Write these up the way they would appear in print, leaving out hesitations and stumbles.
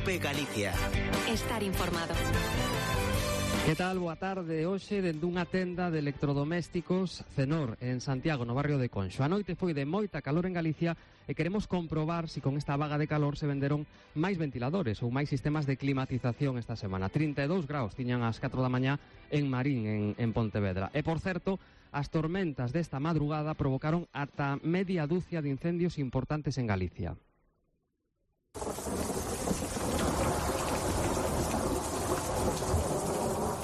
COPE Galicia. Estar informado. Que tal? Boa tarde. Hoxe, dende unha tenda de electrodomésticos Cenor, en Santiago, no barrio de Conxo. A noite foi de moita calor en Galicia e queremos comprobar se con esta vaga de calor se venderon máis ventiladores ou máis sistemas de climatización esta semana. 32 graus tiñan ás 4 da mañá en Marín, en Pontevedra. E, por certo, as tormentas desta madrugada provocaron ata media dúcia de incendios importantes en Galicia.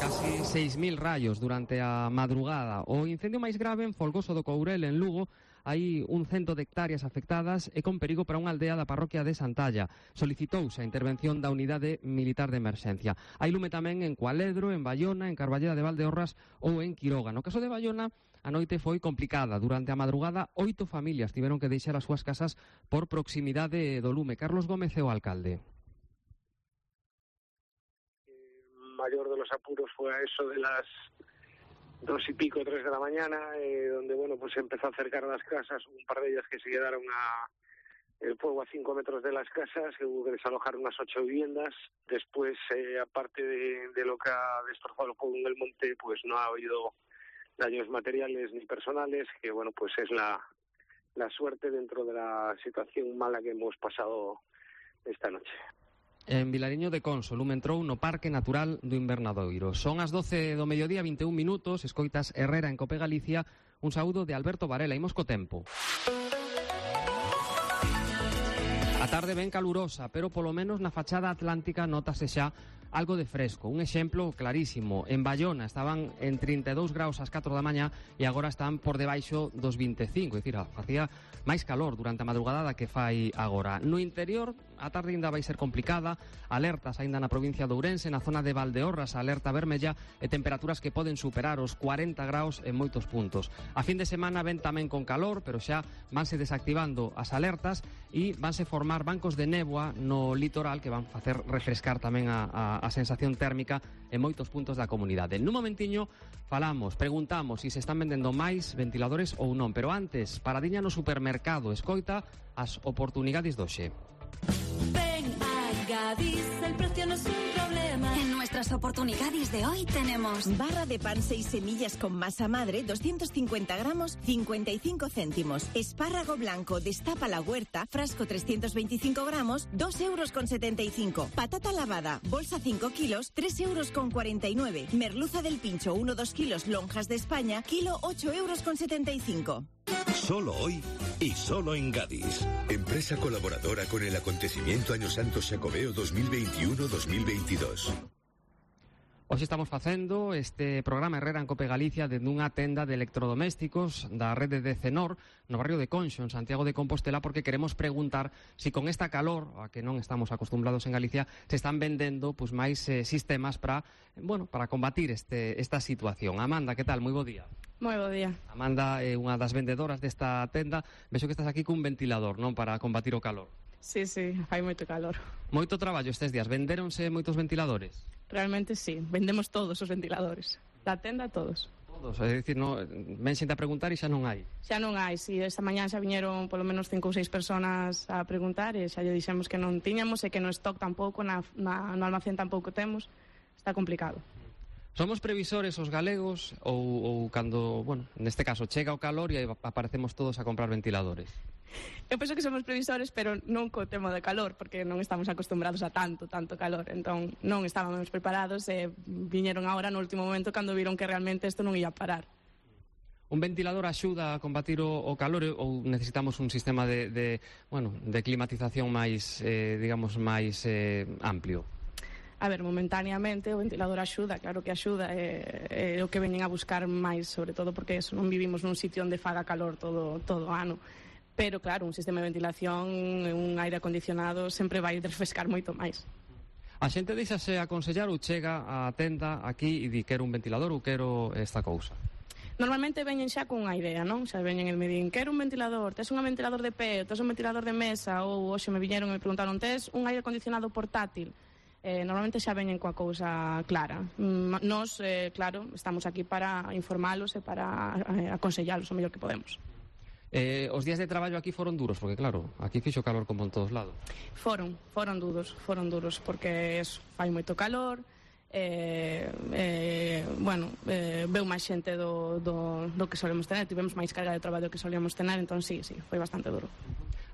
Casi 6.000 raios durante a madrugada. O incendio máis grave en Folgoso do Courel, en Lugo. Hai 100 de hectáreas afectadas e con perigo para unha aldea da parroquia de Santalla. Solicitouse a intervención da unidade militar de emerxencia. Hai lume tamén en Cualedro, en Baiona, en Carballeda de Valdeorras ou en Quiroga. No caso de Baiona, a noite foi complicada. Durante a madrugada, 8 familias tiveron que deixar as súas casas por proximidade do lume. Carlos Gómez é o alcalde. Mayor de los apuros fue a eso de las 2 y pico, 3 de la mañana, donde bueno, pues se empezó a acercar a las casas, un par de ellas que se quedaron el fuego a 5 metros de las casas, que hubo que desalojar unas 8 viviendas. Después, aparte de lo que ha destrozado el fuego en el monte, pues no ha habido daños materiales ni personales, que bueno, pues es la suerte dentro de la situación mala que hemos pasado esta noche. En Vilariño de Conso, lume entrou no Parque Natural do Invernadoiro. Son as 12 do mediodía, 21 minutos, escoitas Herrera en Cope Galicia. Un saúdo de Alberto Varela. Imos co tempo. A tarde ben calurosa, pero polo menos na fachada atlántica notase xa algo de fresco. Un exemplo clarísimo. En Baiona estaban en 32 graus ás 4 da mañá e agora están por debaixo dos 25. É dicir, facía máis calor durante a madrugada que fai agora. No interior, a tarde ainda vai ser complicada. Alertas ainda na provincia de Ourense, na zona de Valdeorras, alerta vermella e temperaturas que poden superar os 40 graus en moitos puntos. A fin de semana ven tamén con calor, pero xa vanse desactivando as alertas e vanse formar bancos de néboa no litoral que van facer refrescar tamén a sensación térmica en moitos puntos da comunidade. Nun momentiño preguntamos se están vendendo máis ventiladores ou non, pero antes, paradiña no supermercado, escoita as oportunidades do xe. Ven a Gadis, el precio no es un problema. En nuestras oportunidades de hoy tenemos barra de pan 6 semillas con masa madre, 250 gramos, 55 céntimos. Espárrago blanco, destapa la huerta, frasco 325 gramos, 2,75 €. Patata lavada, bolsa 5 kilos, 3,49 €. Merluza del pincho, 1-2 kilos, lonjas de España, kilo 8,75 €. Solo hoy y solo en Gadis. Empresa colaboradora con el acontecimiento Año Santo Xacobeo 2021-2022. Hoxe estamos facendo este programa Herrera en Cope Galicia dende unha tenda de electrodomésticos da rede de Cenor no barrio de Conxo, en Santiago de Compostela, porque queremos preguntar se con esta calor, a que non estamos acostumbrados en Galicia, se están vendendo pues máis sistemas para combatir esta situación. Amanda, que tal? Moi bo día. Moi bo día. Amanda é unha das vendedoras desta tenda. Vexo que estás aquí cun ventilador, non? Para combatir o calor. Sí, fai moito calor. Moito traballo estes días. Vendéronse moitos ventiladores? Realmente sí, vendemos todos os ventiladores. Da tenda todos. Todos, é dicir, ven xente a preguntar e xa non hai. Xa non hai, si esta mañá xa viñeron polo menos 5 ou 6 personas a preguntar e xa lle dixemos que non tiñamos e que no stock tampouco, no almacén tampouco temos. Está complicado. Somos previsores os galegos ou cando, neste caso, chega o calor e aparecemos todos a comprar ventiladores? Eu penso que somos previsores, pero non co tema de calor, porque non estamos acostumbrados a tanto calor, entón non estábamos preparados e viñeron agora no último momento cando viron que realmente isto non ia parar. Un ventilador axuda a combatir o calor ou necesitamos un sistema de climatización máis, máis amplio? A ver, momentáneamente o ventilador axuda, claro que axuda, é o que veñen a buscar máis, sobre todo porque non vivimos nun sitio onde faga calor todo o ano. Pero claro, un sistema de ventilación, un aire acondicionado sempre vai refrescar moito máis. A xente deixase aconsellar ou chega á tenda aquí e di quero un ventilador ou quero esta cousa? Normalmente veñen xa con unha idea, non? Xa veñen e me din, quero un ventilador, tes un ventilador de pé, tes un ventilador de mesa, ou hoxe me viñeron e me preguntaron, tes un aire acondicionado portátil? Normalmente xa veñen coa cousa clara. Nos, claro, estamos aquí para informalos e para aconsellalos o mellor que podemos. Os días de traballo aquí foron duros, porque claro, aquí fixo calor como en todos lados. Foron duros, porque fai moito calor, veu máis xente do que solemos tener, tivemos máis carga de traballo que solíamos tener, entón sí, foi bastante duro.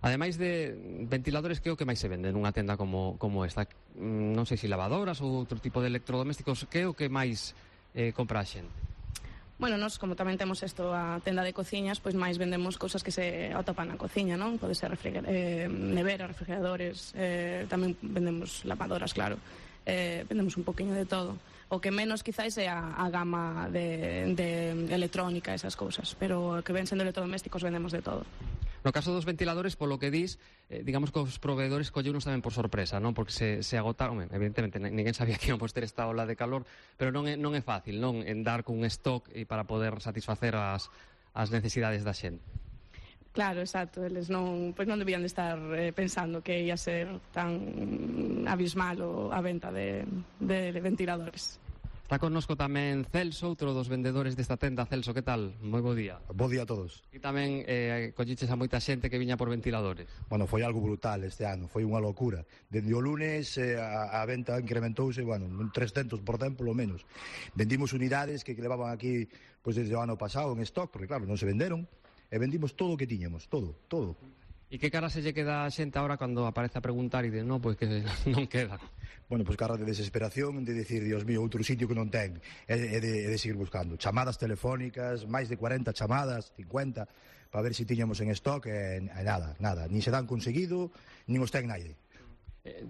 Ademais de ventiladores, que é o que máis se vende nunha tenda como esta? Non sei se lavadoras ou outro tipo de electrodomésticos, que é o que máis compra a xente? Bueno, nós, como tamén temos a tenda de cociñas, pois máis vendemos cousas que se atopan na cociña, non? Pode ser neveras, refrigeradores, tamén vendemos lavadoras, claro. Vendemos un poquinho de todo. O que menos quizás é a gama de electrónica, esas cousas, pero que ven sendo electrodomésticos vendemos de todo. No caso dos ventiladores, polo que dis, digamos que os proveedores colleunos tamén por sorpresa, non? Porque se agotaron, evidentemente, ninguén sabía que íamos ter esta ola de calor, pero non é fácil, non? En dar con un stock para poder satisfacer as necesidades da xente. Claro, exacto, eles non debían de estar pensando que ia ser tan abismal a venta de ventiladores. Está connosco tamén Celso, outro dos vendedores desta tenda. Celso, que tal? Moi bo día. Bo día a todos. E tamén colliches a moita xente que viña por ventiladores. Bueno, foi algo brutal este ano, foi unha locura. Dende o lunes a venta incrementouse, un 300% polo menos. Vendimos unidades que levaban aquí desde o ano pasado en stock, porque claro, non se venderon, e vendimos todo o que tiñamos, todo. E que cara se lle queda a xente agora cando aparece a preguntar e de, non, pois que non queda? Bueno, pois cara de desesperación, de decir, Dios mío, outro sitio que non ten, e de seguir buscando. Chamadas telefónicas, máis de 40 chamadas, 50, para ver se tiñamos en stock, e nada, nin se dan conseguido, nin os ten naide.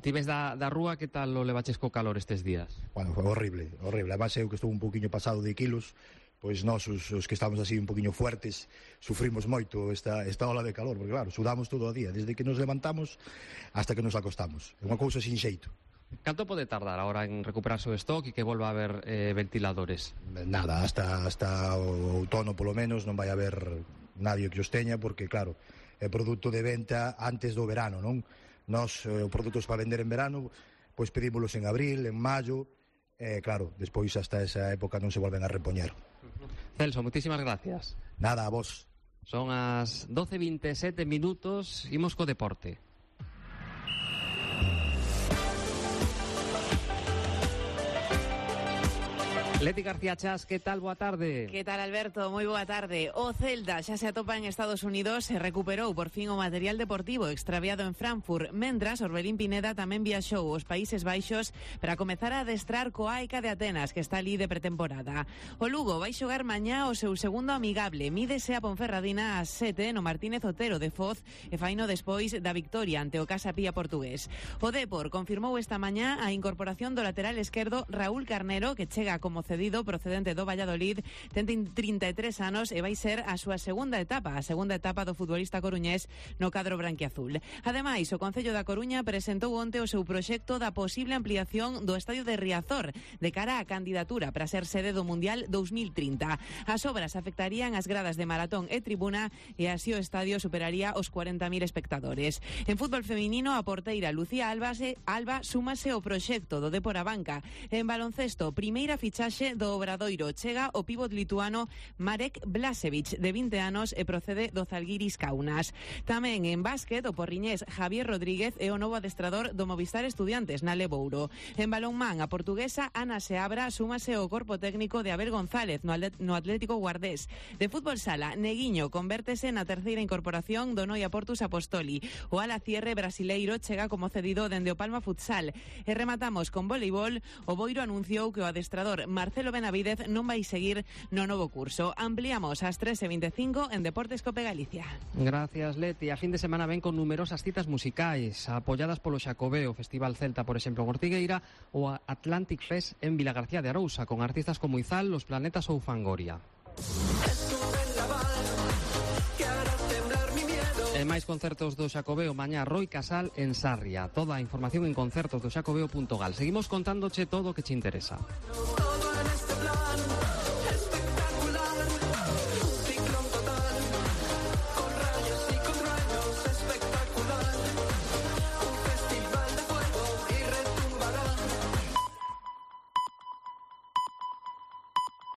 Ti ves da rúa, que tal lo levaches co calor estes días? Bueno, foi horrible. Además, eu que estou un poquinho pasado de kilos, pois nós, os que estamos así un poquinho fuertes, sufrimos moito esta ola de calor, porque claro, sudamos todo o día, desde que nos levantamos hasta que nos acostamos. É unha cousa sin xeito. Canto pode tardar agora en recuperarse o stock e que volva a haber ventiladores? Nada, hasta o outono polo menos non vai haber nadie que os teña, porque claro, é produto de venta antes do verano, non? Nós, produtos para vender en verano, pois pedímolos en abril, en maio, claro, despois hasta esa época non se volven a repoñer. Celso, muchísimas gracias. Nada, a vos. Son as 12:27 minutos, imos co deporte. Leti García Chas, que tal? Boa tarde. Que tal, Alberto? Moi boa tarde. O Celta xa se atopa en Estados Unidos e recuperou por fin o material deportivo extraviado en Frankfurt, mentras Orbelín Pineda tamén viaxou aos Países Baixos para comezar a adestrar co AEK de Atenas, que está ali de pretemporada. O Lugo vai xogar mañá o seu segundo amigable, mídese a Ponferradina ás 7 no Martínez Otero de Foz e faino despois da victoria ante o Casa Pía portugués. O Depor confirmou esta mañá a incorporación do lateral esquerdo Raúl Carnero, que chega como cedido procedente do Valladolid, ten 33 anos e vai ser a súa segunda etapa do futbolista coruñés no cadro branquiazul. Ademais, o Concello da Coruña presentou onte o seu proxecto da posible ampliación do estadio de Riazor de cara á candidatura para ser sede do Mundial 2030. As obras afectarían as gradas de maratón e tribuna e así o estadio superaría os 40.000 espectadores. En fútbol feminino, a porteira Lucía Alba súmase ao proxecto do Depor a banca. En baloncesto, primeira fichaxe do Obradoiro, chega o pívot lituano Marek Blažević, de 20 anos e procede do Zalgiris Kaunas. Tamén en básquet, o porriñés Javier Rodríguez é o novo adestrador do Movistar Estudiantes na Lebouro. En balonmán, a portuguesa Ana Seabra súmase ao corpo técnico de Abel González no Atlético Guardés. De fútbol sala, Neguiño convértese na terceira incorporación do Noia Portus Apostoli. O ala cierre brasileiro chega como cedido dende o Palma Futsal. E rematamos con voleibol. O Boiro anunciou que o adestrador Marcelo Benavidez non vai seguir no novo curso. Ampliamos ás 13:25 en Deportes Cope Galicia. Gracias, Leti. A fin de semana ven con numerosas citas musicais apoyadas polo Xacobeo, Festival Celta, por exemplo, en Ortigueira, ou a Atlantic Fest en Vilagarcía de Arousa, con artistas como Izal, Los Planetas ou Fangoria. E máis concertos do Xacobeo mañá, Roi Casal en Sarria. Toda a información en concertosdoxacobeo.gal. Seguimos contándoche todo o que che interesa.